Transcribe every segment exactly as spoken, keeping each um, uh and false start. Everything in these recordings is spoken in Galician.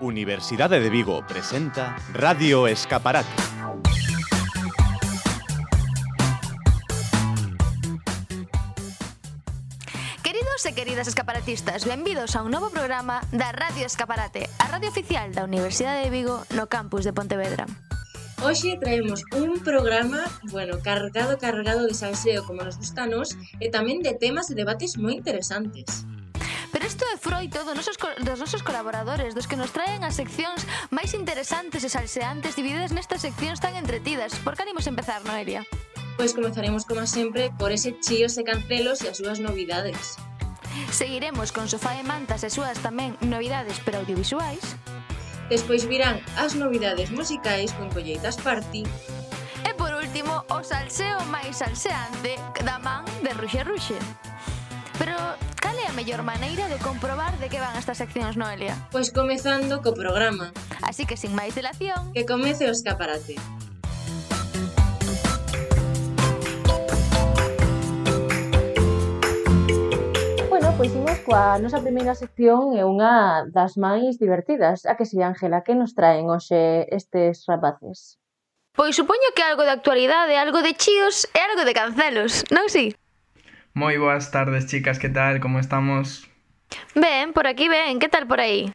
Universidade de Vigo presenta Radio Escaparate. Queridos e queridas escaparatistas, benvidos a un novo programa da Radio Escaparate, a radio oficial da Universidade de Vigo no campus de Pontevedra. Hoxe traemos un programa, bueno, cargado, cargado de salseo como nos gusta a nos e tamén de temas e debates moi interesantes. Pero isto é froito dos nosos, dos nosos colaboradores, dos que nos traen as seccións máis interesantes e salseantes divididas nestas seccións tan entretidas. Por que animos empezar, Noelia? Pois comezaremos, como sempre, por ese chíos e cancelos e as súas novidades. Seguiremos con Sofá e Mantas e súas tamén novidades pero audiovisuais. Despois virán as novidades musicais con Colleitas Party. E por último, o salseo máis salseante da man de Ruxe Ruxe. Pero cal é a mellor maneira de comprobar de que van estas seccións, Noelia? Pois comezando co programa. Así que, sin máis dilación, que comece o escaparate. Bueno, pois imos coa nosa primeira sección e unha das máis divertidas. A que si, Ángela, que nos traen hoxe estes rapaces? Pois supoño que algo de actualidade, algo de chíos e algo de cancelos, non si? Moi boas tardes, chicas, que tal? Como estamos? Ben, por aquí ben, que tal por aí?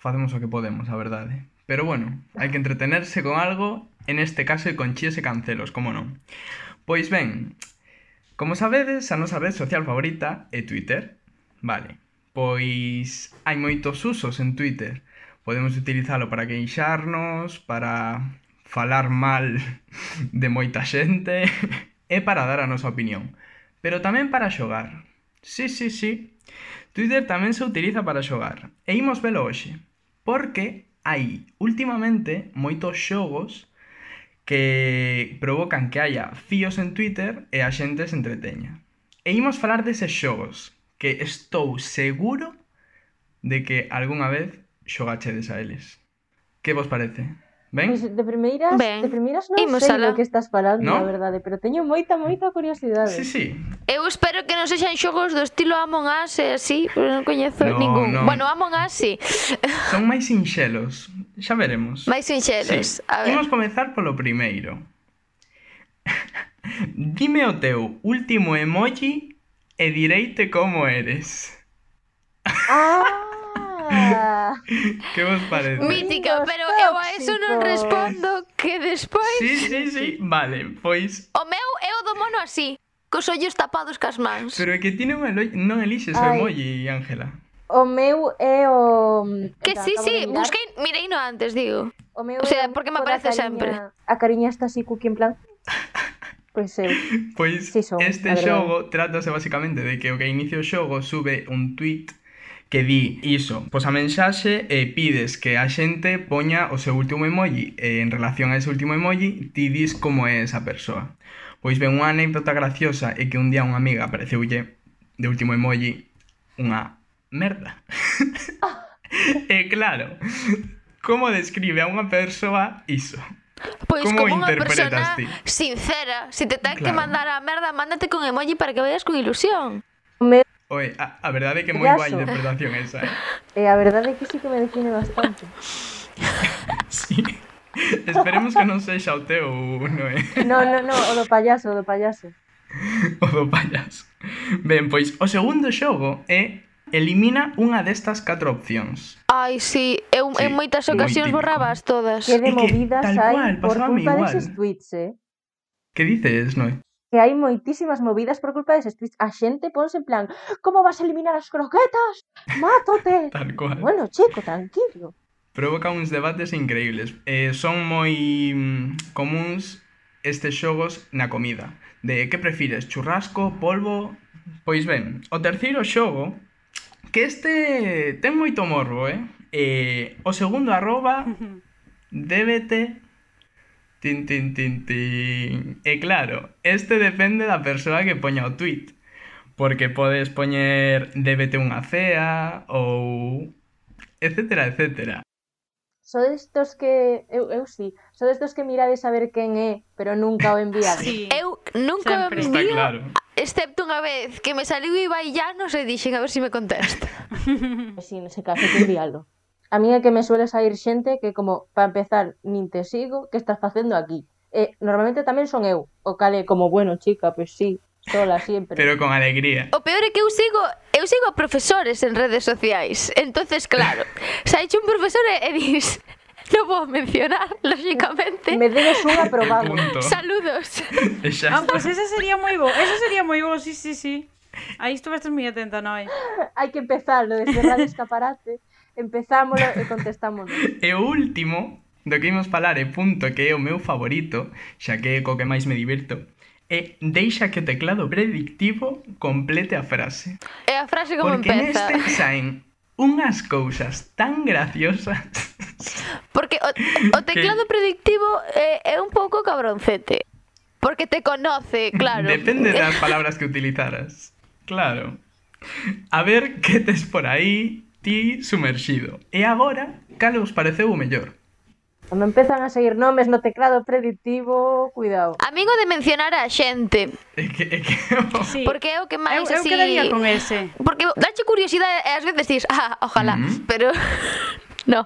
Facemos o que podemos, a verdade. Pero bueno, hai que entretenerse con algo, en este caso con chíos e cancelos, como non? Pois ben, como sabedes, a nosa red social favorita é Twitter. Vale, pois hai moitos usos en Twitter. Podemos utilizalo para queixarnos, para falar mal de moita xente e para dar a nosa opinión. Pero tamén para xogar. Sí, sí, sí. Twitter tamén se utiliza para xogar. E imos velo hoxe. Porque hai, últimamente, moitos xogos que provocan que haya fíos en Twitter e a xente se entreteña. E imos falar deses xogos que estou seguro de que algunha vez xogachedes a eles. Que vos parece? Ben? Pois de primeiras, ben. de primeiras non Imos sei alá. do que estás falando, ¿No? a verdade, pero teño moita, moita curiosidade. Sí, sí. Eu espero que non sexan xogos do estilo Among Us e así, pero non coñezo No, ningún. no. Bueno, Among Us sí. Son máis sinxelos. Xa veremos. Máis sinxelos. Sí. A ver. Imos comezar polo primeiro. Dime o teu último emoji e direite como eres. Ah! Que vos parece? Mítica, Amigos pero eu a eso non tóxicos. respondo que despois Sí, sí, sí. Vale, pois... o meu é o do mono así, cos ollos tapados cas mans. Pero é que ti non, elo... non elixes o Ai. emoji, Ángela. O meu é o... Que Espera, sí, acabo sí, de mirar. busquei, mirei no antes, digo. O meu O sea, é porque me toda aparece a sempre. A cariña está así cookie en plan... Pois eu. Pois Sí son, este a verdade. xogo trátase basicamente de que o que inicia o xogo sube un tweet que di iso, pois a mensaxe e pides que a xente poña o seu último emoji e en relación a ese último emoji ti dis como é esa persoa. Pois ben, unha anécdota graciosa é que un día unha amiga apareceulle de último emoji unha merda. E claro, como describe a unha persoa iso? Pois Como como unha interpretas persona ti? sincera, si te ten que Claro. mandar a merda, mándate con emoji para que vayas con ilusión. O meu Oe, a, a verdade é que é moi guai Payaso. interpretación esa, eh? é a verdade é que sí que me define bastante. Sí. Esperemos que non sexa o teu, Noé. No, no, no, o do payaso, o do payaso. O do payaso. Ben, pois o segundo xogo é elimina unha destas catro opcións. Ai, sí, eu Sí, en moitas moi ocasións típico. borrabas todas. Que de É que movidas tal hai cual, por pasábame culpa igual. deses tweets, eh? Que dices, Noé? Que hai moitísimas movidas por culpa deses tweets. A xente ponse en plan, como vas a eliminar as croquetas? Mátote! Tal cual. Bueno, chico, tranquilo. Provoca uns debates increíbles. Eh, son moi mm, comuns estes xogos na comida. De que prefires, churrasco, polvo? Pois ben, o terceiro xogo, que este ten moito morbo, eh? eh o segundo arroba débete tin tin tin tin. E claro, este depende da persoa que poña o tweet. Porque podes poñer débete unha cea ou etcétera, etcétera. So destos que... Eu, eu sí. So destos que mirades a ver quen é, pero nunca o enviades. Sí. Eu nunca Sempre. o Está envío, claro. excepto unha vez que me saliu Ibai Llanos e dixen a ver se me contesta. Pois sí, nese caso, que envíalo. A mí é que me suele sair xente que como, para empezar, nin te sigo, que estás facendo aquí? E normalmente tamén son eu, o cal é como, bueno, chica, pois sí, sola sempre. Pero con alegría. O peor é que eu sigo, eu sigo a profesores en redes sociais. Entonces, claro, saiche un profesor e, e dis, non vou mencionar, lógicamente. Me debes un aprobado. Punto. Saludos. E xa Ah, está. pois ese sería moi bo, eso sería moi bo, sí, sí, sí. Aí estuvestes moi atenta, Noi. Hai que empezarlo desde Radio Escaparate. Empezámoslo e contestámoslo. E o último do que imos falar e punto que é o meu favorito, xa que é co que máis me divirto, é deixa que o teclado predictivo complete a frase. E a frase como Porque empeza. neste saen unhas cousas tan graciosas. Porque o, o teclado predictivo é, é un pouco cabroncete. Porque te conoce, claro. Depende das palabras que utilizaras. Claro. A ver que tes por aí ti sumerxido. E agora, cal os pareceu o mellor? Cando empezan a seguir nomes no teclado predictivo, cuidado. Amigo de mencionar a xente. É que... É que Sí. Porque é o que eu, máis eu así... quedaría con ese. Porque dache curiosidade e ás veces dis, ah, ojalá, Ujú. pero... no.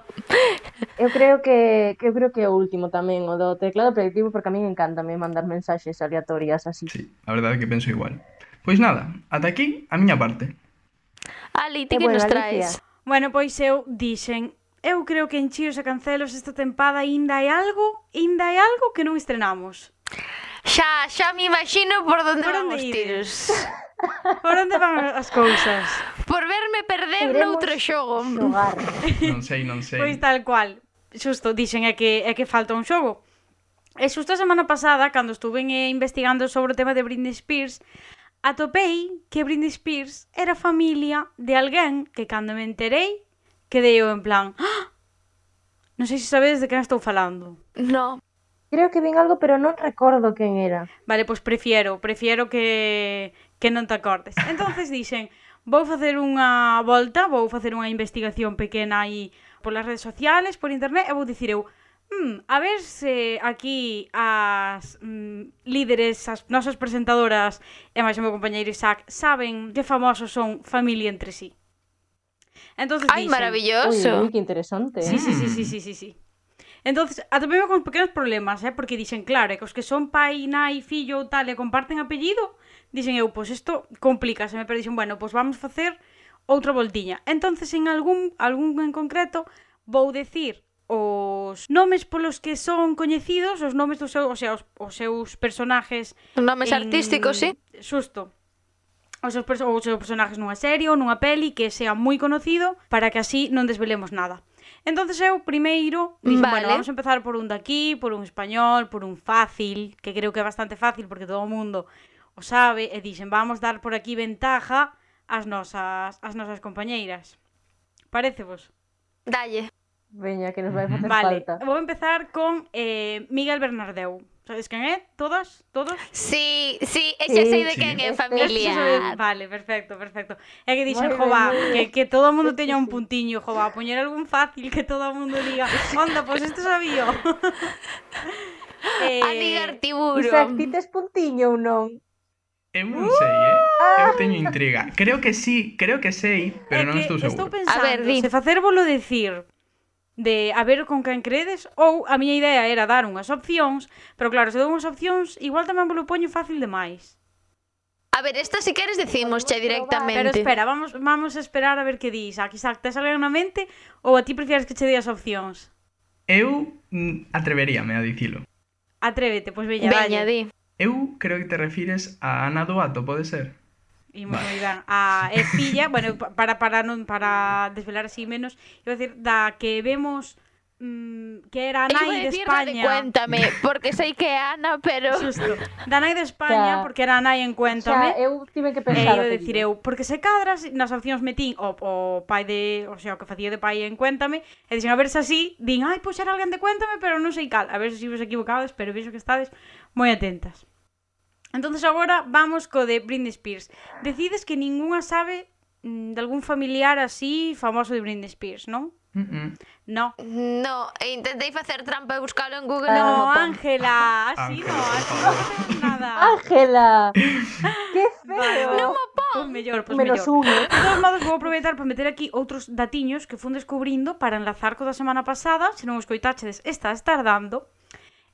Eu creo que, que eu creo que é o último tamén, o do teclado predictivo, porque a mí encántame mandar mensaxes aleatorias así. Sí, a verdade é que penso igual. Pois nada, ata aquí a miña parte. Ali, ti E que bueno, nos Alicia. traes? Bueno, pois eu dixen, eu creo que en Chíos e Cancelos esta tempada ainda hai algo, ainda hai algo que non estrenamos. Xa, xa me imagino por onde Por van onde os ides? tiros. Por onde van as cousas? Por verme perder Iremos noutro xogo. Xogar. Non sei, non sei. Pois tal cual. Xusto, dixen é que, é que falta un xogo. E xusto a semana pasada, cando estuve eh, investigando sobre o tema de Britney Spears, atopei que Britney Spears era familia de alguén que cando me enterei, quedei eu en plan, ¡ah! Non sei se sabedes de quen estou falando. No. Creo que vin algo, pero non recordo quen era. Vale, pois prefiero, prefiero que, que non te acordes. Entonces dixen, vou facer unha volta, vou facer unha investigación pequena aí polas redes sociales, por internet, e vou dicir eu, hmm, a ver se aquí as mm, líderes, as nosas presentadoras e máis o meu compañeiro Isaac saben que famosos son familia entre sí. Entonces Ai, dixen, Ui, maravilloso. ui, que interesante. Sí, sí, sí, sí, sí, sí, sí. Entonces, atopeme con pequenos problemas, eh? Porque dixen, claro, é que os que son pai, nai, fillo ou tal e comparten apellido, dixen eu, pois isto complícaseme, pero dixen, bueno, pois vamos facer outra voltiña. Entonces, en algún, algún en concreto, vou decir os nomes polos que son coñecidos, os nomes dos seus, o sea, os, os seus personajes Nomes en- artísticos, sí. Xusto. Os seus, perso- os seus personajes nunha serie ou nunha peli que sea moi conocido para que así non desvelemos nada. Entonces eu primeiro dixen, Vale. bueno, vamos a empezar por un daqui, por un español, por un fácil, que creo que é bastante fácil porque todo o mundo o sabe, e dixen, vamos dar por aquí ventaja ás nosas, ás nosas compañeiras. Parecevos? Dalle. Veña, que nos vai facer Vale, falta. vou empezar con eh, Miguel Bernardeu. Sabes quen é? Todas? Todos? Sí, sí, e Sí, xa sei de sí. quen é Este- familia. Vale, perfecto, perfecto. É que dixen, Moi ben, jova, moi que, ben. que todo o mundo Este teña un sí. puntiño, jova, poñer algún fácil que todo o mundo diga, onda, pois pues isto sabía. eh, Anigar tiburo. Isaac, ti tes puntiño ou non? Eu non sei, eh? Eu teño intriga. Creo que sí, creo que sei, pero é non que estou estou seguro. pensando, A ver, di. se facérvolo decir de a ver con quen credes, ou a miña idea era dar unhas opcións, pero claro, se dou unhas opcións, igual tamén vos lo poño fácil demais. A ver, esta si queres decimos che directamente. Pero espera, vamos, vamos a esperar a ver que di Isaac. Isaac, tes alguén na mente ou a ti prefieres que che dei as opcións? Eu mm, atreveríame a dicilo. Atrévete, pois veña, Veña, dalle. di. Eu creo que te refires a Ana Duato, pode ser? Imos moi ben. A é filla, bueno, pa- para para non para desvelar así menos, iba a decir da que vemos mm, que era a Eu iba a nai de decir la de España. Cuéntame, porque sei que é Ana, pero... Justo. Da nai de España, Xa. porque era a nai en Xa, Cuéntame. eu tive que E pensar. iba o a que decir digo. eu, porque se cadras nas opcións metín o, o pai de, o sea, o que facía de pai en Cuéntame, e dixen a ver se así, din, ai, pois era alguén de Cuéntame, pero non sei cal, a ver se vos equivocades, pero vexo que estades moi atentas. Entonces agora vamos co de Britney Spears. Decides que ningunha sabe mm, de algún familiar así famoso de Britney Spears, non? Mm -mm. No. No, e intentei facer trampa e buscalo en Google. Ah, e non No, o pon. Ángela, así Ángela, no, por así favor. non facemos nada. Ángela, que feo. Non mo pon. Pois mellor, pois Menos mellor. un, eh? De todos modos, vou aproveitar para meter aquí outros datiños que fun descubrindo para enlazar co da semana pasada, se non os coitáchedes, está tardando.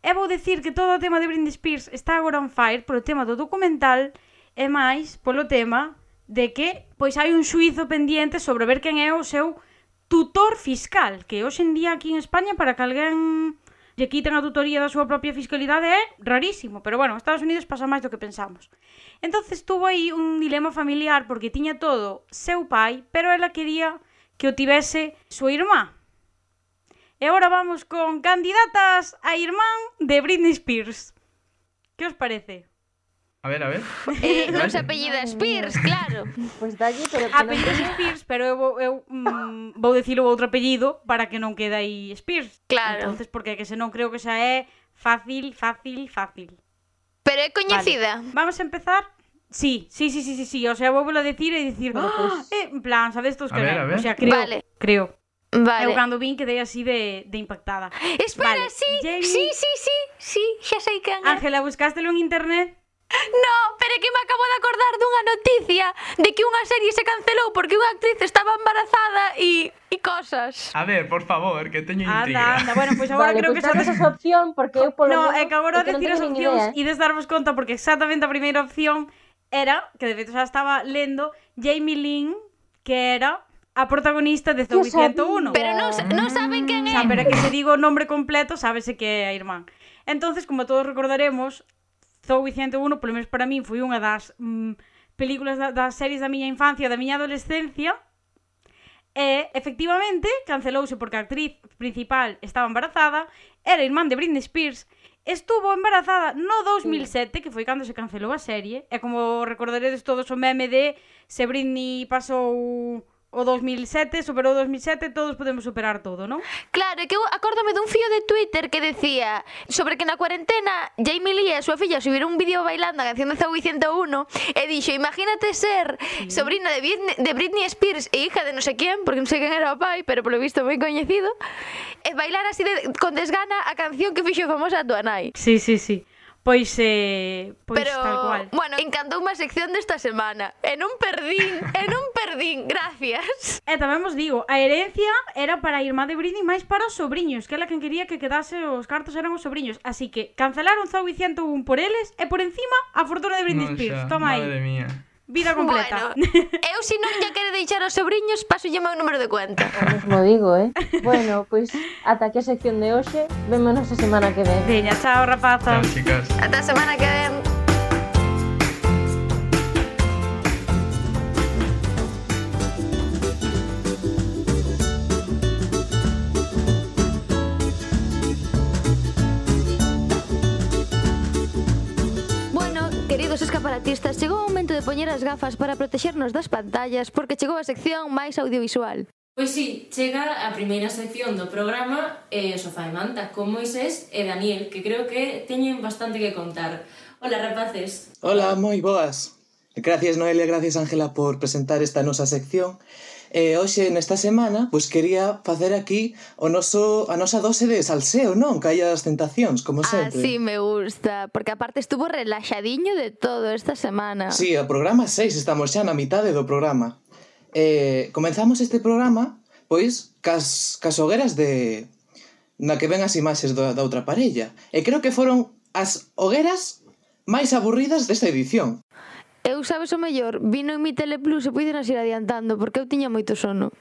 E vou dicir que todo o tema de Britney Spears está agora on fire polo tema do documental e máis polo tema de que pois hai un xuízo pendiente sobre ver quen é o seu tutor fiscal, que hoxe en día aquí en España para que alguén lle quiten a tutoría da súa propia fiscalidade é rarísimo, pero bueno, en Estados Unidos pasa máis do que pensamos. Entonces tuvo aí un dilema familiar porque tiña todo seu pai, pero ela quería que o tivese súa irmá. E agora vamos con candidatas a irmán de Britney Spears. Que os parece? A ver, a ver. Eh, non se apellida Spears, claro. Pois dalle, pero que non Apellido Spears, pero eu, vou- eu mm, vou dicir o outro apellido para que non quede aí Spears. Claro. Entonces, porque que se non creo que xa é fácil, fácil, fácil. Pero é coñecida. Vale. Vamos a empezar. Sí, sí, sí, sí, sí, sí. O sea, vou a decir e dicir, Bueno, ¡ah! pues- eh, en plan, sabes todos A que ver, ven? a ver. O sea, creo, Vale. creo. Vale. Eu cando vin quedei así de, de impactada. Espera, Vale, sí, Jamie- sí, sí, sí, sí, xa sei quen é. Ángela, buscástelo en internet? No, pero é que me acabo de acordar dunha noticia de que unha serie se cancelou porque unha actriz estaba embarazada e e cosas. A ver, por favor, que teño Anda, intriga. anda. Bueno, pois agora Vale, creo pois que xa danos esa opción, porque eu polo No, menos é que agora é que non decir as teño nin opcións idea, eh. ides darvos conta porque exactamente a primeira opción era, que de feito xa estaba lendo, Jamie Lynn, que era a protagonista de Zoey Que ciento uno. Pero non, sa- non saben quen é. Xa, pero é que se digo o nombre completo, sábese que é a irmán. Entonces, como todos recordaremos, Zoey ciento uno, polo menos para min, foi unha das mm, películas da, das series da miña infancia, da miña adolescencia. E, efectivamente, cancelouse porque a actriz principal estaba embarazada, era irmán de Britney Spears, estuvo embarazada no dous mil sete, que foi cando se cancelou a serie, e como recordaredes todos o meme de se Britney pasou o dous mil sete, superou o dous mil sete, todos podemos superar todo, non? Claro, é que eu acórdame dun fío de Twitter que decía sobre que na cuarentena Jamie Lee e a súa filla subiron un vídeo bailando a canción de Zoey ciento uno e dixo, imagínate ser sobrina de Britney, de Britney Spears e hija de non sei quen, porque non sei quen era o pai, pero polo visto moi coñecido, e bailar así de, con desgana a canción que fixo famosa a tua nai. Sí, sí, sí. Pois, eh, pois Pero, tal cual. bueno, encantou unha sección desta semana. E non perdín, e non perdín, gracias. E tamén vos digo, a herencia era para a irmá de Britney máis para os sobriños, que ela quen quería que quedase os cartos eran os sobriños. Así que cancelaron Zoey ciento uno por eles e por encima a fortuna de Britney Non Spears. xa, Toma aí, madre mía. vida completa. Bueno, eu se non lle quere deixar aos sobriños, paso lle meu número de cuenta. O mesmo digo, eh. Bueno, pois ata aquí a sección de hoxe, vémonos a semana que ven. Veña, chao, rapazas. Chao, chicas. Ata a semana que ven. Bueno, queridos escaparatistas, chegou o momento de poñer as gafas para protexernos das pantallas porque chegou a sección máis audiovisual. Pois sí, chega a primeira sección do programa eh, Sofá e Manta con Moisés e Daniel, que creo que teñen bastante que contar. Hola, rapaces. Hola, moi boas. Gracias Noelia, gracias Ángela por presentar esta nosa sección. E hoxe nesta semana, pois quería facer aquí o noso a nosa dose de salseo, non? Que hai as tentacións, como sempre. Así me gusta, porque aparte estuvo relaxadiño de todo esta semana. Sí, o programa seis, estamos xa na mitade do programa. Eh, comenzamos este programa, pois, cas, cas hogueras de... na que ven as imaxes da, da outra parella. E creo que foron as hogueras máis aburridas desta edición. Eu sabes o mellor, vino en mi Teleplus e puidenas ir adiantando porque eu tiña moito sono.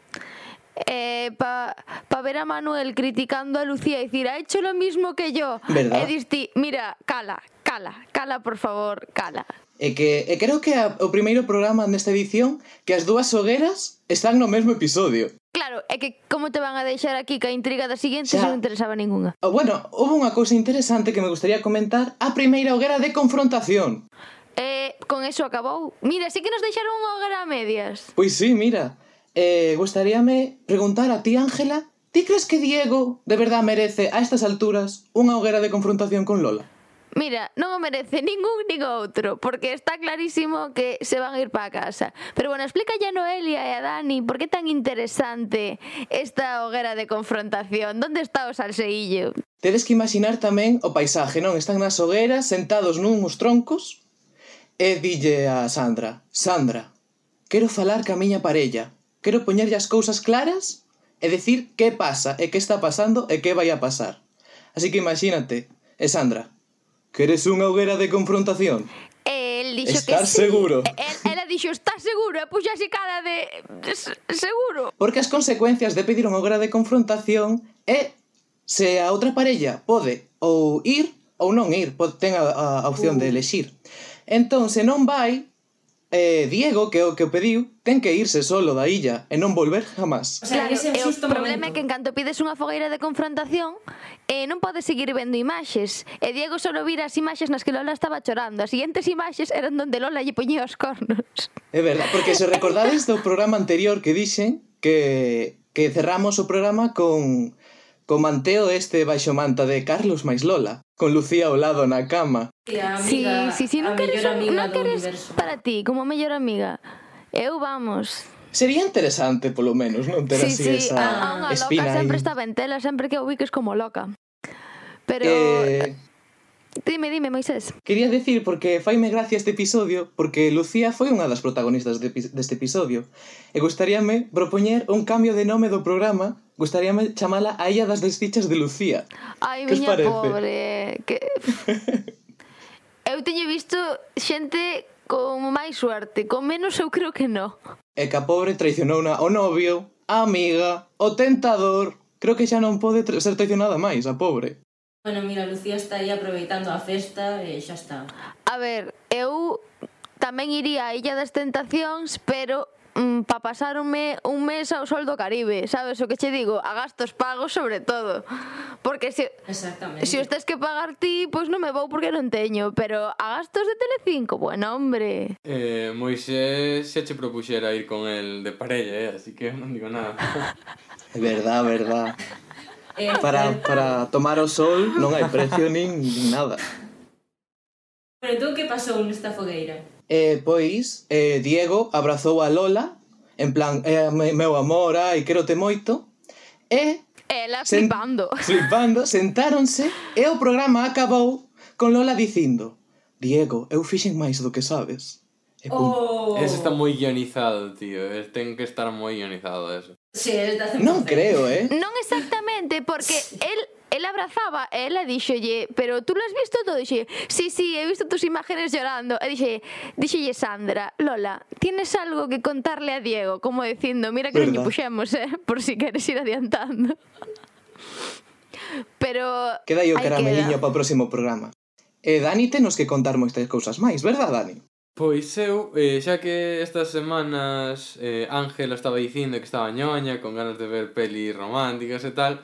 Eh, pa, pa ver a Manuel criticando a Lucía e dicir, ha hecho lo mismo que yo. ¿Verdad? E diste, mira, cala, cala, cala por favor, cala. E que e creo que a, o primeiro programa nesta edición que as dúas hogueras están no mesmo episodio. Claro, é que como te van a deixar aquí que a intriga da seguinte Xa. se non interesaba ningunha. Oh, bueno, houve unha cousa interesante que me gustaría comentar. A primeira hoguera de confrontación. Eh, con eso acabou. Mira, sí que nos deixaron unha hoguera a medias. Pois sí, mira. Eh, gustaríame preguntar a ti, Ángela, ti crees que Diego de verdad merece a estas alturas unha hoguera de confrontación con Lola? Mira, non o merece ningún nin outro, porque está clarísimo que se van a ir para casa. Pero bueno, explícalle a Noelia e a Dani por que tan interesante esta hoguera de confrontación. Donde está o salseillo? Tedes que imaginar tamén o paisaje, non? Están nas hogueras, sentados nuns troncos, e dille a Sandra, Sandra, quero falar ca miña parella. Quero poñerlle as cousas claras e decir que pasa e que está pasando e que vai a pasar. Así que imagínate, e Sandra, queres unha hoguera de confrontación? El dixo Estar que sí. seguro. El, ela dixo, está seguro, e puxa así cara de... "S- seguro. Porque as consecuencias de pedir unha hoguera de confrontación é se a outra parella pode ou ir ou non ir, pode, ten a, a opción uh. de elexir. Entón, se non vai, eh, Diego, que é o que o pediu, ten que irse solo da illa e non volver jamás. O sea, Claro, ese é e o o xusto problema é momento. que en canto pides unha fogueira de confrontación eh, non podes seguir vendo imaxes. E Diego solo vira as imaxes nas que Lola estaba chorando. As siguientes imaxes eran donde Lola lle poñía os cornos. É verdad, porque se recordades do programa anterior que dixen que, que cerramos o programa con, con manteo este baixo manta de Carlos máis Lola, con Lucía ao lado na cama. E a Sí, amiga, sí, sí, non a queres, mellor un, amiga non do queres universo. para ti, como mellor amiga. Eu, vamos... Sería interesante, polo menos, non ter Sí, así sí, esa a, a unha loca espina sempre aí. estaba en tela, sempre que o ubiques como loca. Pero... Eh, Dime, dime, Moisés. quería decir, porque faime gracia este episodio, porque Lucía foi unha das protagonistas de, deste episodio, e gustaríame propoñer un cambio de nome do programa, gustaríame chamala a Illa das Desdichas de Lucía. Ai, Que os miña parece? pobre. Que... Eu teño visto xente con máis suerte, con menos eu creo que no. E que a pobre traicionou na, o novio, a amiga, o tentador. Creo que xa non pode tra- ser traicionada máis, a pobre. Bueno, mira, Lucía está aí aproveitando a festa e xa está. A ver, eu tamén iría a Illa das Tentacións, pero mm, pa pasarme un mes ao Sol do Caribe, sabes o que che digo? A gastos pagos sobre todo. Porque se, Exactamente. se os tes que pagar ti, pois non me vou porque non teño, pero a gastos de Telecinco, bueno, hombre. Eh, Moisés xa che propuxera ir con el de parella, eh? Así que non digo nada. É verdad, verdad. Eh, Para, para tomar o sol non hai precio nin, nin nada. Pero entón, que pasou nesta fogueira? E, pois, eh, Diego abrazou a Lola, en plan, eh, me- meu amor, ai, quérote moito, e, Ela Sen- flipando. flipando, sentáronse, e o programa acabou con Lola dicindo: Diego, eu fixen máis do que sabes. E pum. Oh! Eso está moi guionizado, tío. eh, Ten que estar moi guionizado eso. Sí, está cen por cen. Non creo, eh? Non exactamente, porque él él abrazaba e ela díxolle, pero tú lo has visto todo? Dixe, sí, sí, he visto tus imágenes llorando. E dixe, díxolle Sandra, Lola, tienes algo que contarle a Diego, como dicindo, mira que non lle Verdad. puxemos, eh, por si queres ir adiantando. Pero Queda aí o aí carameliño queda. para o próximo programa. E Dani tenos que contar moitas cousas máis, verdad, Dani? Pois eu, eh, xa que estas semanas eh, Ángela estaba dicindo que estaba ñoña, con ganas de ver pelis románticas e tal,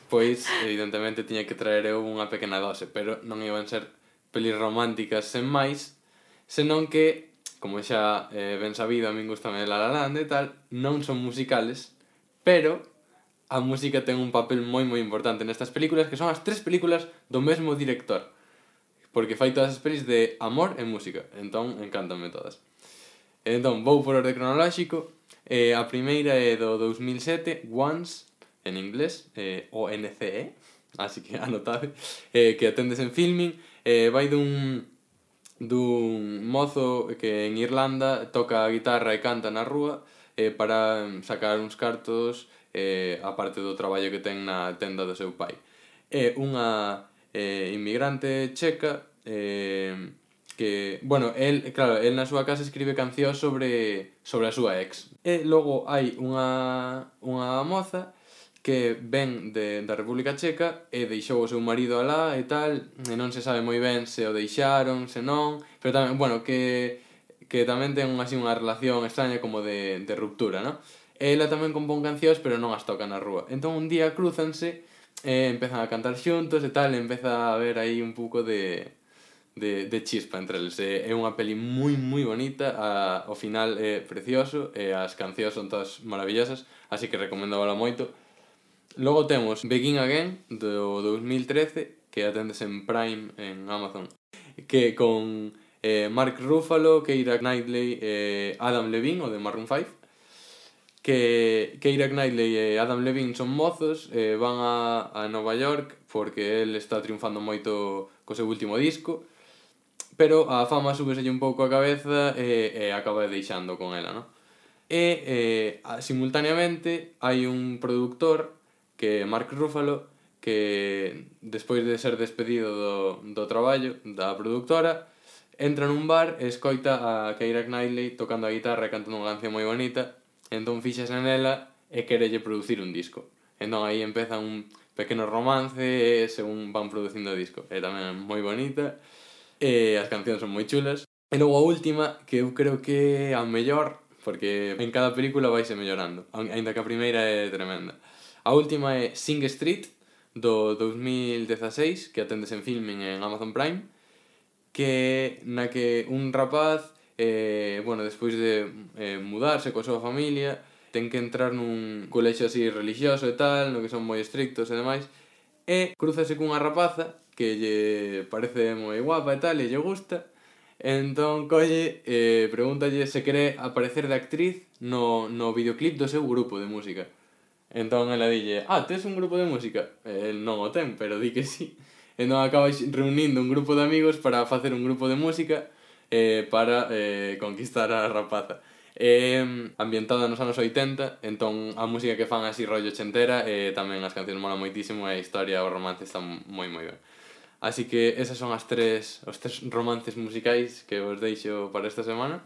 pois evidentemente tiña que traer eu unha pequena dose, pero non iban ser pelis románticas sen máis, senón que, como xa eh, ben sabido, a min gustame La La Land e tal, non son musicales, pero a música ten un papel moi moi importante nestas películas, que son as tres películas do mesmo director. Porque fai todas as pelis de amor e música. Entón, encántanme todas. Entón, vou por orde cronolóxico. Eh, a primeira é do dous mil sete, Once, en inglés, eh, O N C E, así que anotade, eh, que atendes en filming. Eh, vai dun, dun mozo que en Irlanda toca a guitarra e canta na rúa eh, para sacar uns cartos eh, a parte do traballo que ten na tenda do seu pai. É unha eh, inmigrante checa eh, que, bueno, el, claro, el na súa casa escribe cancións sobre sobre a súa ex. E logo hai unha unha moza que ven de, da República Checa e deixou o seu marido alá e tal, e non se sabe moi ben se o deixaron, se non, pero tamén, bueno, que que tamén ten así unha relación extraña como de, de ruptura, ¿no? Ela tamén compón cancións, pero non as toca na rúa. Entón un día crúzanse e empezan a cantar xuntos e tal, e empeza a haber aí un pouco de, de, de chispa entre eles. É unha peli moi moi bonita, a, o final é precioso e as cancións son todas maravillosas, así que recomendábala moito. Logo temos Begin Again do dous mil trece, que atendes en Prime en Amazon, que con eh, Mark Ruffalo, Keira Knightley e Adam Levine, o de Maroon five. Que Keira Knightley e Adam Levine son mozos, eh, van a, a Nova York porque el está triunfando moito co seu último disco, pero a fama súbeselle un pouco a cabeza e, e acaba deixando con ela, non? E eh, simultaneamente hai un productor que é Mark Ruffalo que despois de ser despedido do, do traballo da productora entra nun bar e escoita a Keira Knightley tocando a guitarra e cantando unha canción moi bonita, entón fixase nela e querelle producir un disco. Entón aí empeza un pequeno romance e según van producindo o disco. É tamén moi bonita e as cancións son moi chulas. E logo a última, que eu creo que é a mellor, porque en cada película vaise mellorando, aínda que a primeira é tremenda. A última é Sing Street, do dous mil dezaseis, que atendes en filming en Amazon Prime, que na que un rapaz, eh, bueno, despois de eh, mudarse coa súa familia, ten que entrar nun colexio así religioso e tal, no que son moi estrictos e demais, e cruzase cunha rapaza que lle parece moi guapa e tal, e lle gusta, entón colle e eh, pregúntalle se quere aparecer de actriz no, no videoclip do seu grupo de música. Entón ela dille, ah, tes un grupo de música? E el non o ten, pero di que sí. Entón acaba reunindo un grupo de amigos para facer un grupo de música eh, para eh, conquistar a rapaza. É eh, ambientada nos anos oitenta, entón a música que fan así rollo ochentera e eh, tamén as cancións mola moitísimo e a historia, o romance está moi moi ben. Así que esas son as tres, os tres romances musicais que os deixo para esta semana.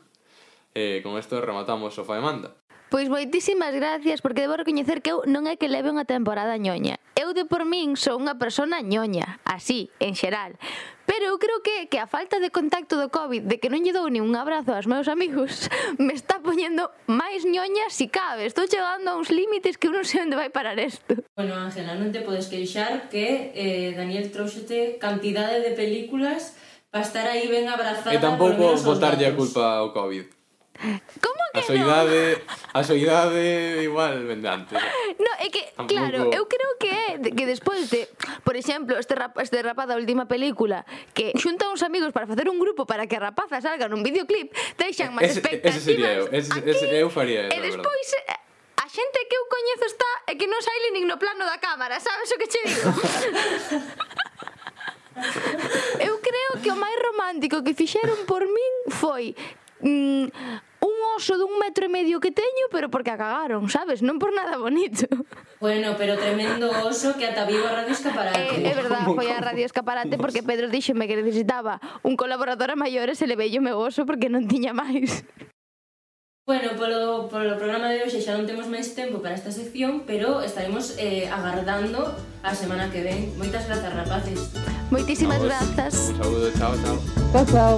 E eh, con isto rematamos Sofá e Manda. Pois moitísimas gracias, porque debo recoñecer que eu non é que leve unha temporada ñoña. Eu de por min sou unha persona ñoña, así, en xeral. Pero eu creo que, que a falta de contacto do COVID, de que non lle dou ni un abrazo aos meus amigos, me está poñendo máis ñoña si cabe. Estou chegando a uns límites que eu non sei onde vai parar isto. Bueno, Ángela, non te podes queixar que eh, Daniel trouxete cantidade de películas para estar aí ben abrazada. E tampouco botarlle a culpa ao COVID. Como que a soidade, non? A soidade igual vende antes. No, é que, Tampouco... claro, eu creo que é que despois de, por exemplo, este, rap, este rapaz da última película que xunta uns amigos para facer un grupo para que a rapaza salga nun videoclip, deixan máis ese, expectativas. Ese sería eu, ese, aquí, ese, eu faría eso, e despois a xente que eu coñezo está e que non saile nin no plano da cámara, sabes o que che digo? Eu creo que o máis romántico que fixeron por min foi mm, un oso dun metro e medio que teño, pero porque a cagaron, sabes? Non por nada bonito. Bueno, pero tremendo oso que ata vivo a Radio Escaparate. É, é verdad, foi a Radio Escaparate porque Pedro díxome que necesitaba un colaborador a maiores e levei o meu oso porque non tiña máis. Bueno, polo, polo programa de hoxe xa non temos máis tempo para esta sección, pero estaremos eh, agardando a semana que ven. Moitas grazas, rapaces. Moitísimas grazas. Un saúdo, chao, chao. Chao, chao.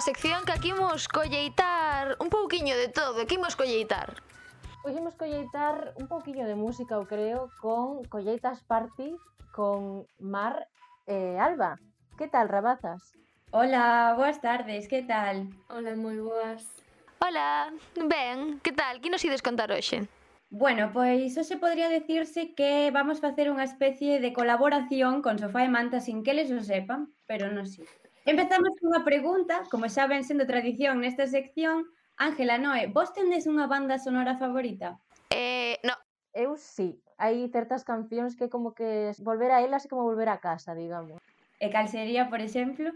Unha sección que aquí imos colleitar un pouquiño de todo, que imos colleitar. Hoxe imos colleitar un pouquiño de música, eu creo, con Colleitas Party con Mar e Alba. Que tal, rabazas? Hola, boas tardes, que tal? Hola, moi boas. Hola, ben, que tal? Que nos ides contar hoxe? Bueno, pois hoxe podría decirse que vamos facer unha especie de colaboración con Sofá e Manta sin que eles o sepan, pero non si. Empezamos cunha pregunta, como xa ven sendo tradición nesta sección. Ángela, Noé, vos tendes unha banda sonora favorita? Eh, no. Eu sí, hai certas cancións que como que volver a elas é como volver a casa, digamos. E cal sería, por exemplo?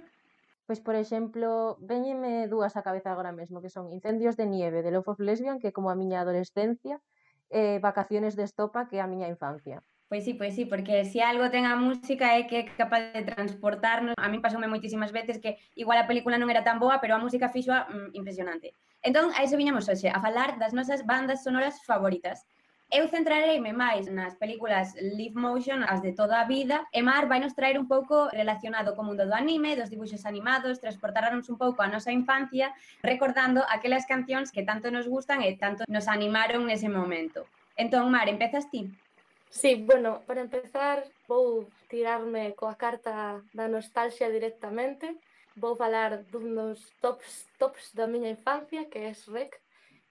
Pois, por exemplo, véñeme dúas á cabeza agora mesmo, que son Incendios de nieve, de Love of Lesbian, que é como a miña adolescencia, e Vacaciones de estopa, que é a miña infancia. Pois sí, pois sí, porque se algo ten a música é que é capaz de transportarnos. A mí pasoume moitísimas veces que igual a película non era tan boa, pero a música fixoa mm, impresionante. Entón, a iso viñamos hoxe, a falar das nosas bandas sonoras favoritas. Eu centrareime máis nas películas live motion, as de toda a vida, e Mar vai nos traer un pouco relacionado co mundo do anime, dos dibuixos animados, transportarnos un pouco a nosa infancia, recordando aquelas cancións que tanto nos gustan e tanto nos animaron nese momento. Entón, Mar, empezas ti? Sí, bueno, para empezar vou tirarme coa carta da nostalgia directamente. Vou falar dun dos tops, tops da miña infancia, que é Shrek.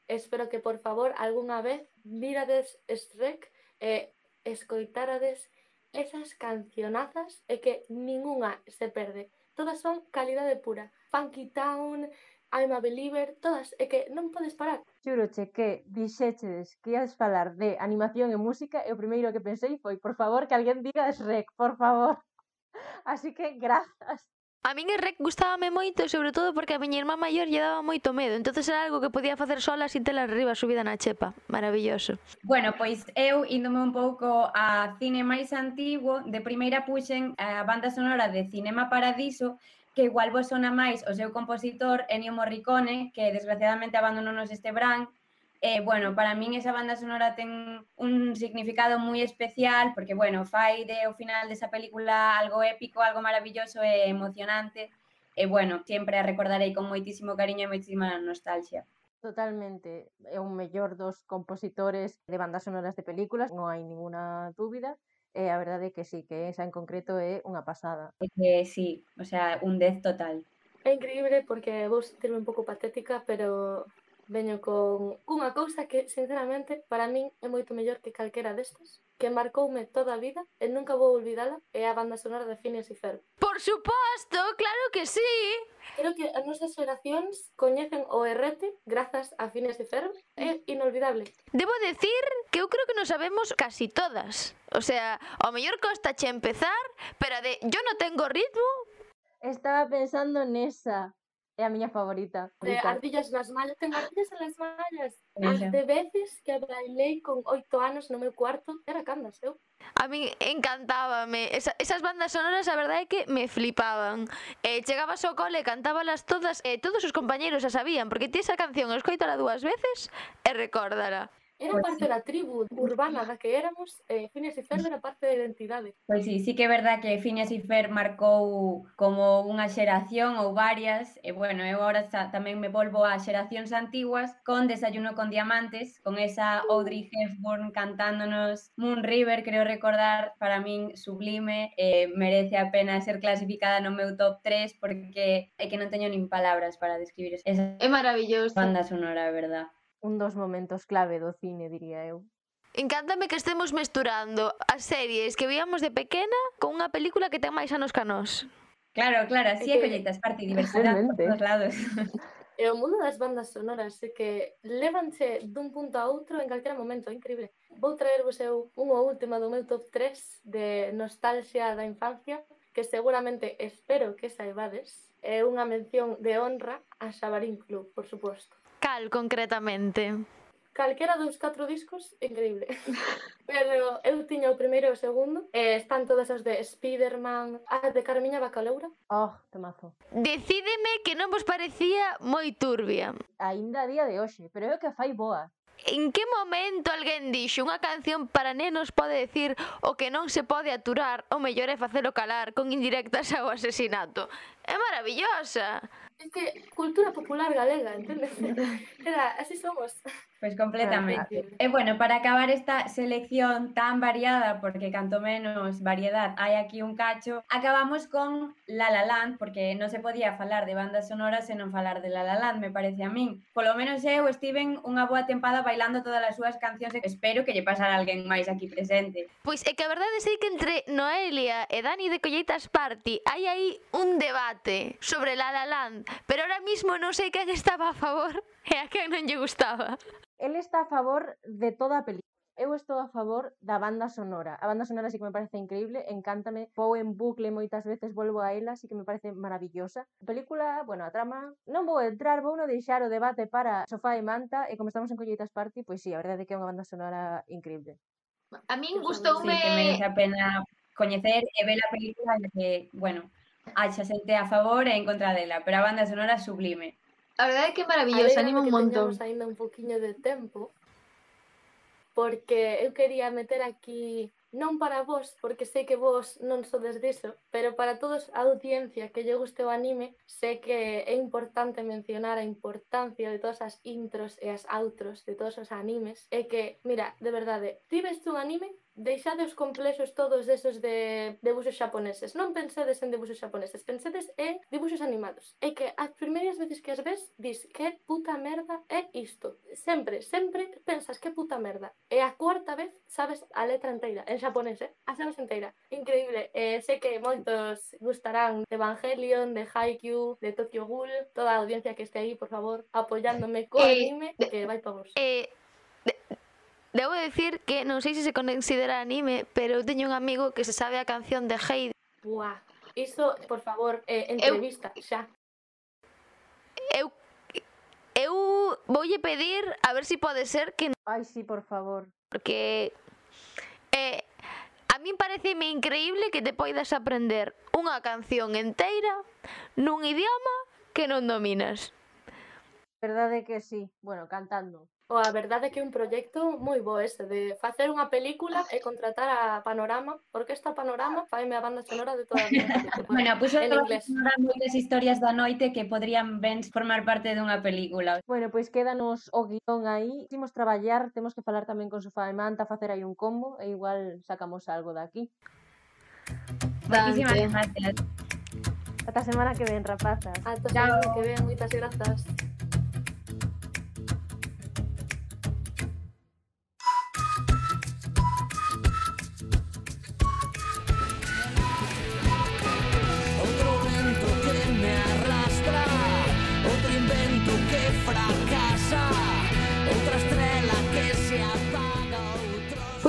Espero que, por favor, algunha vez virades Shrek e escoitarades esas cancionazas e que ningunha se perde. todas son calidade pura. Funky Town, I'm a Believer, todas, é que non podes parar. Xuroche que dixéchedes que ias falar de animación e música e o primeiro que pensei foi, por favor, que alguén diga Shrek, por favor. Así que, grazas. A min el Rec gustábame moito, sobre todo porque a miña irmá maior lle daba moito medo, entonces era algo que podía facer sola sin tela arriba subida na chepa. Maravilloso. Bueno, pois eu, índome un pouco a cine máis antigo, de primeira puxen a banda sonora de Cinema Paradiso, que igual vos sona máis o seu compositor, Ennio Morricone, que desgraciadamente abandononos este verán. Eh, bueno, para min esa banda sonora ten un significado moi especial, porque, bueno, fai de o final desa película algo épico, algo maravilloso e emocionante. E, bueno, sempre a recordarei con moitísimo cariño e moitísima nostalgia. Totalmente, é un mellor dos compositores de bandas sonoras de películas, non hai ninguna dúbida, e a verdade é que sí, que esa en concreto é unha pasada. É que sí, o sea, un dez total. É increíble porque vou sentirme un pouco patética, pero veño con unha cousa que, sinceramente, para min é moito mellor que calquera destas, que marcoume toda a vida e nunca vou olvidala, é a banda sonora de Phineas e Ferb. Por suposto, claro que sí. Creo que as nosas xeracións coñecen o errete grazas a Phineas e Ferb, é inolvidable. Debo decir que eu creo que nos sabemos casi todas. O sea, ao mellor costache empezar, pero a de yo no tengo ritmo. Estaba pensando nesa. É a miña favorita. De ardillas nas mallas, ten ardillas nas mallas. Esa. As de veces que bailei con oito anos no meu cuarto, era candas, eu. A min encantábame. Esa, esas bandas sonoras, a verdade é que me flipaban. Eh, chegabas ao cole, cantábalas todas, e eh, todos os compañeros a sabían, porque ti esa canción escoitala dúas veces e recórdala. Era parte da tribu urbana da que éramos, e Phineas e Ferb era parte da identidade. Pois sí, sí que é verdad que Phineas e Ferb marcou como unha xeración ou varias, e bueno, eu agora xa, tamén me volvo a xeracións antiguas con Desayuno con Diamantes, con esa Audrey Hepburn cantándonos Moon River, creo recordar, para min sublime, e merece a pena ser clasificada no meu top tres porque é que non teño nin palabras para describir esa É maravilloso. banda sonora, a verdad. Un dos momentos clave do cine, diría eu. Encántame que estemos mesturando as series que víamos de pequena con unha película que ten máis anos que a nós. Claro, claro, así é que colleitas parte diversidade por todos lados. E o mundo das bandas sonoras é que lévanse dun punto a outro en calquera momento, é increíble. Vou traervos eu unha última do meu top tres de nostalgia da infancia, que seguramente espero que saibades. É unha mención de honra a Xabarín Club, por suposto. Cal, concretamente? Calquera dos catro discos, increíble. Pero eu tiña o primeiro e o segundo, e están todas as de Spiderman, a de Carmiña Bacaleura. Oh, temazo. Decídeme que non vos parecía moi turbia. Aínda a día de hoxe, pero é o que fai boa. En que momento alguén dixo unha canción para nenos pode decir o que non se pode aturar, o mellor é facelo calar con indirectas ao asesinato? É maravillosa. É que cultura popular galega, entendes? Era, así somos. Pois completamente. E bueno, para acabar esta selección tan variada, porque canto menos variedad hai aquí un cacho, acabamos con La La Land, porque non se podía falar de bandas sonoras e non falar de La La Land, me parece a min. Polo menos eu estiven unha boa tempada bailando todas as súas cancións e espero que lle pasara a alguén máis aquí presente. Pois é que a verdade sei que entre Noelia e Dani de Colleitas Party hai aí un debate sobre La La Land, pero ahora mismo non sei quen estaba a favor e a quen non lle gustaba. Él está a favor de toda a película. Eu estou a favor da banda sonora. A banda sonora sí que me parece increíble, encántame, vou en bucle moitas veces, volvo a ela, sí que me parece maravillosa. A película, bueno, a trama, non vou entrar, vou non deixar o debate para Sofá e Manta, e como estamos en Colleitas Party, pois sí, a verdade é que é unha banda sonora increíble. A min Sí, gustoume... que merece a pena coñecer e ver a película que, bueno, haxa xente a favor e en contra dela, pero a banda sonora sublime. A verdade é que é maravillosa, anima un montón. Teñamos aínda un poquinho de tempo, porque eu quería meter aquí, non para vos, porque sei que vos non sodes diso, pero para todos a audiencia que lle guste o anime, sei que é importante mencionar a importancia de todas as intros e as outros de todos os animes, e que, mira, de verdade, ti ves un anime, deixade os complexos todos esos de debuxos xaponeses. Non pensedes en debuxos xaponeses, pensedes en dibuxos animados. E que as primeiras veces que as ves, dis que puta merda é isto. Sempre, sempre pensas que puta merda. E a cuarta vez sabes a letra inteira. En xaponés, eh? A sabes enteira. Increíble. Eh, sei que moitos gustarán de Evangelion, de Haikyuu, de Tokyo Ghoul, toda a audiencia que este aí, por favor, apoyándome co Eh, anime, que vai pa vos. Eh, de, debo decir que non sei se se considera anime, pero eu teño un amigo que se sabe a canción de Heidi. Buah. Iso, por favor, eh, entrevista, xa. Eu eu voulle pedir a ver se si pode ser que Ai, sí, por favor. porque eh, a min pareceme increíble que te poidas aprender unha canción enteira nun idioma que non dominas. Verdade que sí. Bueno, cantando. O a verdade é que é un proxecto moi bo este, de facer unha película e contratar a Panorama, Orquesta Panorama, faime a banda sonora de toda a miña película. Bueno, puxo en inglés. moitas historias da noite que podrían ben formar parte dunha película. Bueno, pois quédanos o guión aí. Imos traballar, temos que falar tamén con Sofá e Manta, facer aí un combo e igual sacamos algo de aquí. Moitísimas gracias. Ata a semana que ven, rapazas. Ata a semana que ven, moitas grazas.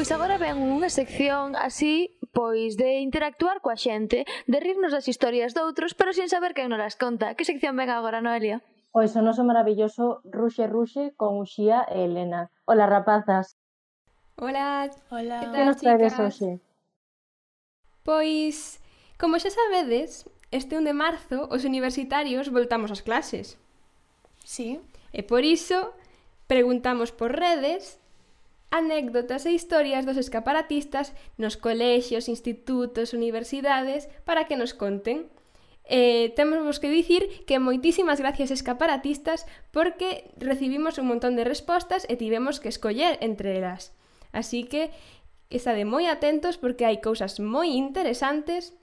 Pois agora ven unha sección así, pois de interactuar coa xente, de rirnos das historias doutros, pero sin saber quen nos las conta. Que sección ven agora, Noelia? Pois o noso maravilloso Ruxe Ruxe con Uxía e Elena. Hola, rapazas. Hola, hola. Que nos traedes hoxe? Pois, como xa sabedes, este un de marzo os universitarios voltamos ás clases. Sí. E por iso preguntamos por redes anécdotas e historias dos escaparatistas nos colexios, institutos, universidades para que nos conten. Eh, temos que dicir que moitísimas gracias escaparatistas porque recibimos un montón de respostas e tivemos que escoller entre elas. Así que estade moi atentos porque hai cousas moi interesantes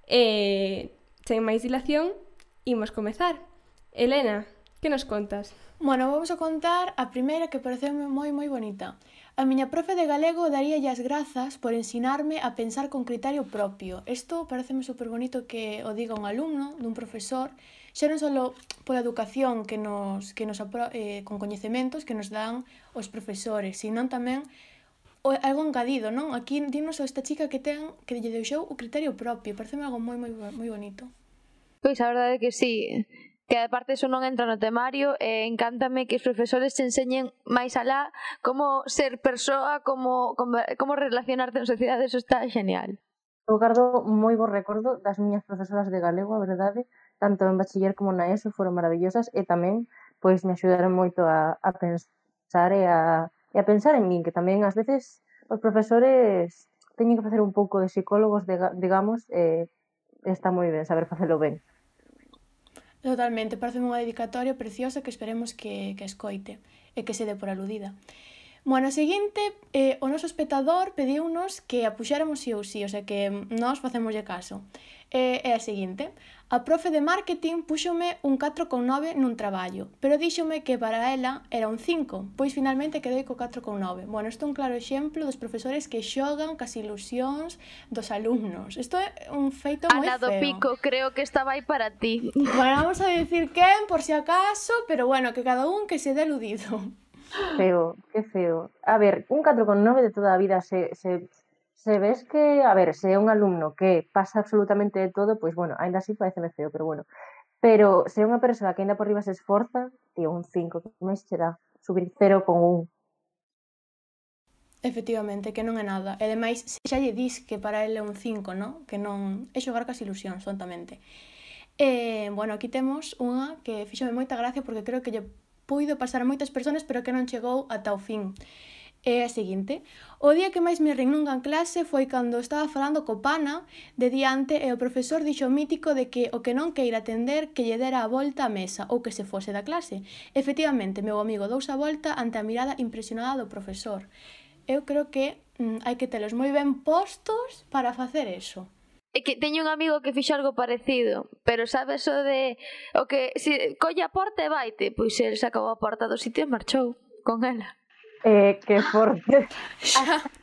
e, sen máis dilación, imos comezar. Elena, que nos contas? Bueno, vamos a contar a primeira que pareceume moi moi bonita. A miña profe de galego daríalle as grazas por ensinarme a pensar con criterio propio. Isto pareceme super bonito que o diga un alumno dun profesor, xa non só pola educación que nos, que nos eh, con coñecementos que nos dan os profesores, sino tamén o, algo engadido, non? Aquí dinos esta chica que ten que lle deixou o criterio propio. Pareceme algo moi moi moi bonito. Pois a verdade é que sí. Que aparte eso non entra no temario e encántame que os profesores te enseñen máis alá como ser persoa, como, como, como relacionarte en sociedade, eso está genial. Eu gardo moi bo recordo das miñas profesoras de galego, a verdade, tanto en bachiller como na ESO foron maravillosas e tamén pois me axudaron moito a, a pensar e a, e a pensar en min, que tamén ás veces os profesores teñen que facer un pouco de psicólogos, de, digamos, e está moi ben saber facelo ben. Totalmente, parece unha dedicatoria preciosa que esperemos que, que escoite e que se dé por aludida. Bueno, a seguinte, eh, o noso espectador pediunos que a puxáramos sí ou sí, o sea que nós facémoslle caso. É eh, a seguinte, a profe de marketing púxome un catro con nove nun traballo, pero díxome que para ela era un cinco, pois finalmente quedei co catro con nove. Bueno, isto é un claro exemplo dos profesores que xogan cas ilusións dos alumnos. Isto é un feito moi Ana do feo. Pico, creo que estaba aí para ti. Bueno, vamos a decir quen, por si acaso, pero bueno, que cada un que se dé eludido. Feo, que feo. A ver, un catro con nove de toda a vida se, se, se ves que, a ver, se é un alumno que pasa absolutamente de todo, pois bueno, ainda así pareceme feo, pero bueno. Pero se é unha persoa que ainda por riba se esforza, tío, un cinco, que máis che dá? Subir cero con un. Efectivamente, que non é nada. E ademais, xa lle dis que para ele é un cinco, non? Que non é xogar cas ilusións, tontamente. E, bueno, aquí temos unha que fíxome moita gracia porque creo que lle puido pasar a moitas persoas, pero que non chegou ata o fin. É a seguinte: o día que máis me rin nunha clase foi cando estaba falando co pana de diante e o profesor dixo mítico de que o que non queira atender que lle dera a volta á mesa ou que se fose da clase. Efectivamente, meu amigo dous a volta ante a mirada impresionada do profesor. Eu creo que mm, hai que telos moi ben postos para facer eso. É que teño un amigo que fixo algo parecido, pero sabes o de o que si colle a porta e vaite, pois el sacou a porta do sitio e marchou con ela. Eh, que forte.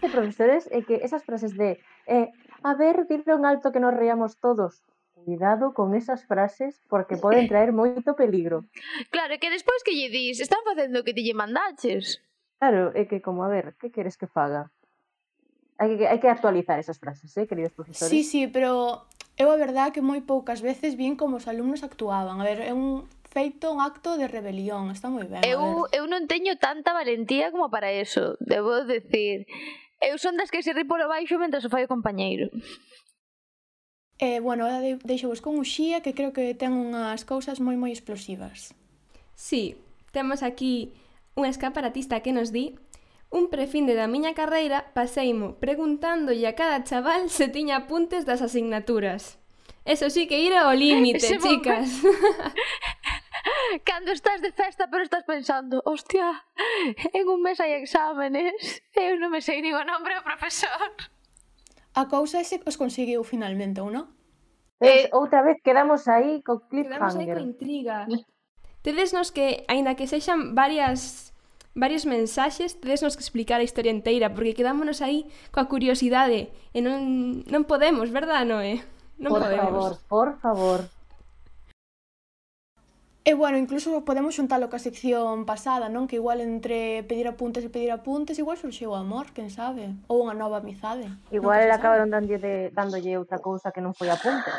Hai profesores é que esas frases de eh, a ver, dilo en alto que nos reamos todos. Cuidado con esas frases porque poden traer moito peligro. Claro, que despois que lle dis, están facendo o que ti lle mandaches. Claro, é que como, a ver, que queres que faga? Hai que, hai que actualizar esas frases, eh, queridos profesores? Sí, sí, pero eu a verdad que moi poucas veces vin como os alumnos actuaban. A ver, é un feito un acto de rebelión, está moi ben. Eu, eu non teño tanta valentía como para eso, debo decir. Eu son das que se ri polo baixo mentre o fai o compañeiro. Eh, bueno, ahora de, deixo-vos con Uxía, que creo que ten unhas cousas moi moi explosivas. Sí, temos aquí un escaparatista que nos di: un prefinde da miña carreira paseimo preguntándolle a cada chaval se tiña apuntes das asignaturas. Eso sí que ir ao límite, Ese chicas. Cando estás de festa pero estás pensando, hostia, en un mes hai exámenes, eu non me sei nin o nombre do profesor. A cousa é se os conseguiu finalmente, ou non? Eh, outra vez quedamos aí co Quedamos aí cliffhanger. coa intriga. Tedesnos que, aínda que sexan varias varios mensaxes, tedesnos que explicar a historia inteira, porque quedámonos aí coa curiosidade e non, non podemos, verdad, Noé? Non Por podemos. favor, por favor. E bueno, incluso podemos xuntalo ca sección pasada, non? Que igual entre pedir apuntes e pedir apuntes igual surxeu o amor, quen sabe? Ou unha nova amizade. Igual acabaron dándolle, de, dándolle outra cousa que non foi apunte.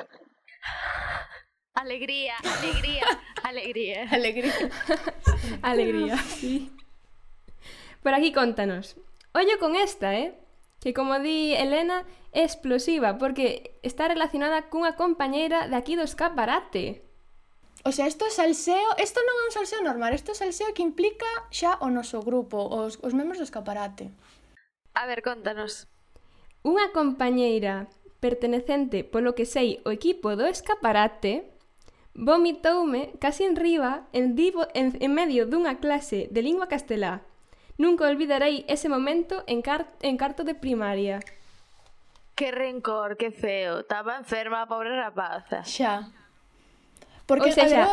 Alegría, alegría, alegría. Alegría. Alegría, sí. Por aquí contanos. Ollo con esta, eh? Que como di Elena, é explosiva, porque está relacionada cunha compañeira de aquí do escaparate. O sea, isto é salseo, isto non é un salseo normal, isto é salseo que implica xa o noso grupo, os, os membros do escaparate. A ver, contanos. Unha compañeira pertenecente, polo que sei, o equipo do escaparate, vomitoume casi en riba en, divo, en, en medio dunha clase de lingua castelá. Nunca olvidarei ese momento en, car, en carto de primaria. Que rencor, que feo. Estaba enferma a pobre rapaza. Xa. Porque, O sea, a ver, xa.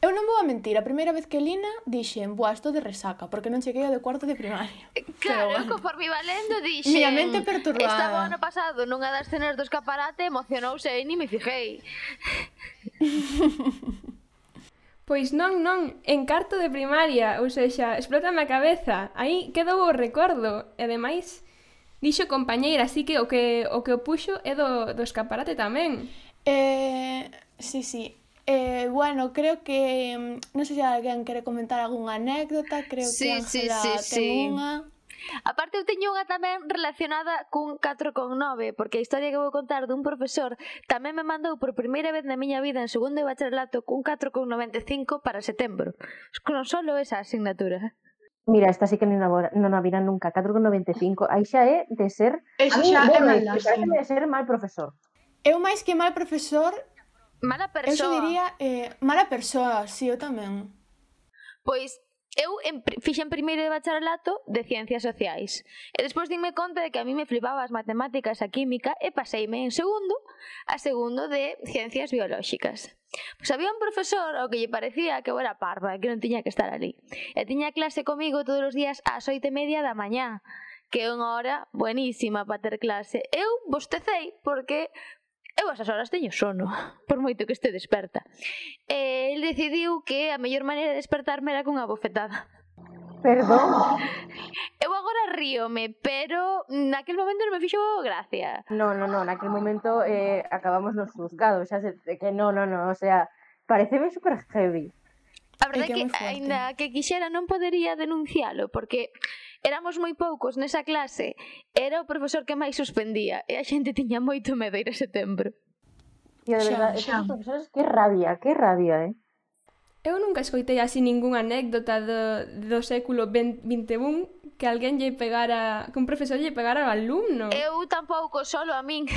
eu, eu non vou a mentir, a primeira vez que lina dixen, boa, estou de resaca, porque non cheguei ao de cuarto de primaria. Claro, Pero, bueno. conforme iba lendo dixen... Miña mente perturbada. Estaba o ano pasado nunha das cenas do escaparate, emocionouse e ni me fijei. Pois non, non, en carto de primaria, ou seja, explótame a cabeza. Aí quedou o recordo, e ademais dixo compañeira, así que o que o que o puxo é do, do escaparate tamén. Eh, sí, sí. Eh, bueno, creo que non sei se alguén quere comentar algunha anécdota, creo Sí, que sí, Ángela sí, ten sí. unha. Aparte eu teño unha tamén relacionada cun catro con nove, porque a historia que vou contar dun profesor tamén me mandou por primeira vez na miña vida en segundo de bacharelato cun catro con noventa e cinco para setembro. Con solo esa asignatura. Mira, esta sí que non a, non a viran nunca, catro con noventa e cinco. Aí xa é de ser... Eso a mí, xa é bueno, maldad, parece sí. de ser mal profesor. Eu máis que mal profesor, Mala eu xa persoa. diría eh, mala persoa, sí, eu tamén. Pois eu en, fixen primeiro de bacharelato de Ciencias Sociais e despois dime conta de que a mí me flipaba as matemáticas, a química e paseime en segundo a segundo de Ciencias Biolóxicas. Pois había un profesor ao que lle parecía que eu era parva, que non tiña que estar ali. E tiña clase comigo todos os días ás oito e media da mañá, que é unha hora buenísima para ter clase. Eu bostecei porque eu a esas horas teño sono, por moito que este desperta. E ele decidiu que a mellor maneira de despertarme era cunha bofetada. Perdón. Eu agora ríome, pero naquel momento non me fixo gracia. No, no, no, naquel momento eh, acabamos nos juzgados, xa se, que no, no, no, o sea, pareceme super heavy. A verdade é É que é que, moi forte. aínda que quixera, non podería denuncialo, porque éramos moi poucos nesa clase, era o profesor que máis suspendía, e a xente tiña moito medo ir a setembro. Tío, de Xa, verdade, xa. esos profesores, que rabia, que rabia, eh. Eu nunca escoitei así ningunha anécdota do, do século vinte e un que alguén lle pegara, que un profesor lle pegara ao alumno. Eu tampouco, solo a min.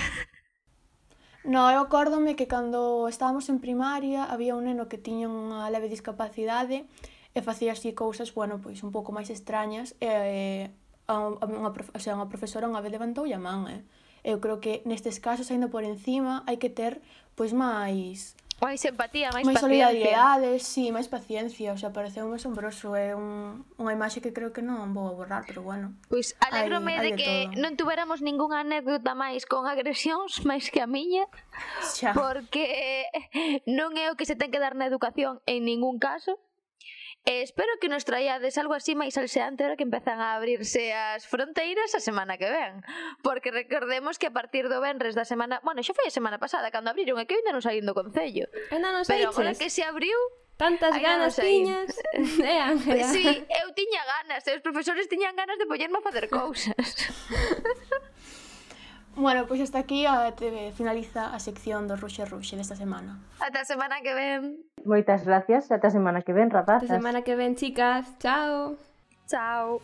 No, eu acórdome que cando estábamos en primaria había un neno que tiña unha leve discapacidade e facía así cousas, bueno, pois un pouco máis extrañas e a, a, unha, prof, o sea, unha profesora unha vez levantoulle a man, eh. Eu creo que nestes casos, ainda por encima, hai que ter pois máis máis empatía, máis máis paciencia. solidaridade, sí, máis paciencia, o sea, pareceume asombroso, é un, unha imaxe que creo que non vou a borrar, pero bueno. Pois alégrome de que non tuveramos ningunha anécdota máis con agresións máis que a miña, xa. Porque non é o que se ten que dar na educación en ningún caso. E espero que nos traíades algo así máis alseante ahora que empezan a abrirse as fronteiras a semana que ven. Porque recordemos que a partir do venres da semana... Bueno, xa foi a semana pasada cando abriron, e que eu ainda non saí do concello. Ainda non Pero saíches. agora que se abriu... Tantas ganas tiñas. Eh, Ángela. Sí, eu tiña ganas, e os profesores tiñan ganas de poñerme a facer cousas. Bueno, pois hasta aquí a te finaliza a sección do Ruxe Ruxe desta semana. Ata a semana que ven. Moitas gracias, ata a semana que ven, rapazas. Ata a semana que ven, chicas. Chao. Chao.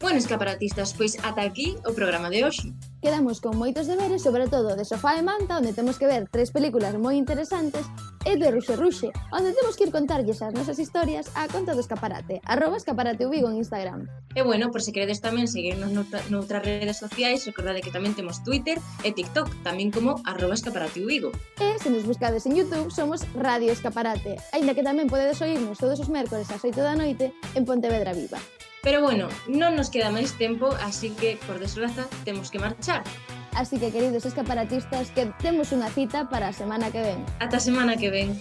Bueno, escaparatistas, pois ata aquí o programa de hoxe. Quedamos con moitos deberes, sobre todo de Sofá e Manta, onde temos que ver tres películas moi interesantes, e de Ruxe Ruxe, onde temos que ir contarlles as nosas historias á conta do Escaparate, arroba Escaparate Vigo en Instagram. E bueno, por se queredes tamén seguirnos noutras redes sociais, recordade que tamén temos Twitter e TikTok, tamén como arroba Escaparate Vigo. E se nos buscades en YouTube, somos Radio Escaparate, aínda que tamén podedes oírnos todos os mércores ás oito da noite en Pontevedra Viva. Pero bueno, non nos queda máis tempo, así que, por desgraza, temos que marchar. Así que, queridos escaparatistas, que temos unha cita para a semana que ven. Ata a semana que ven.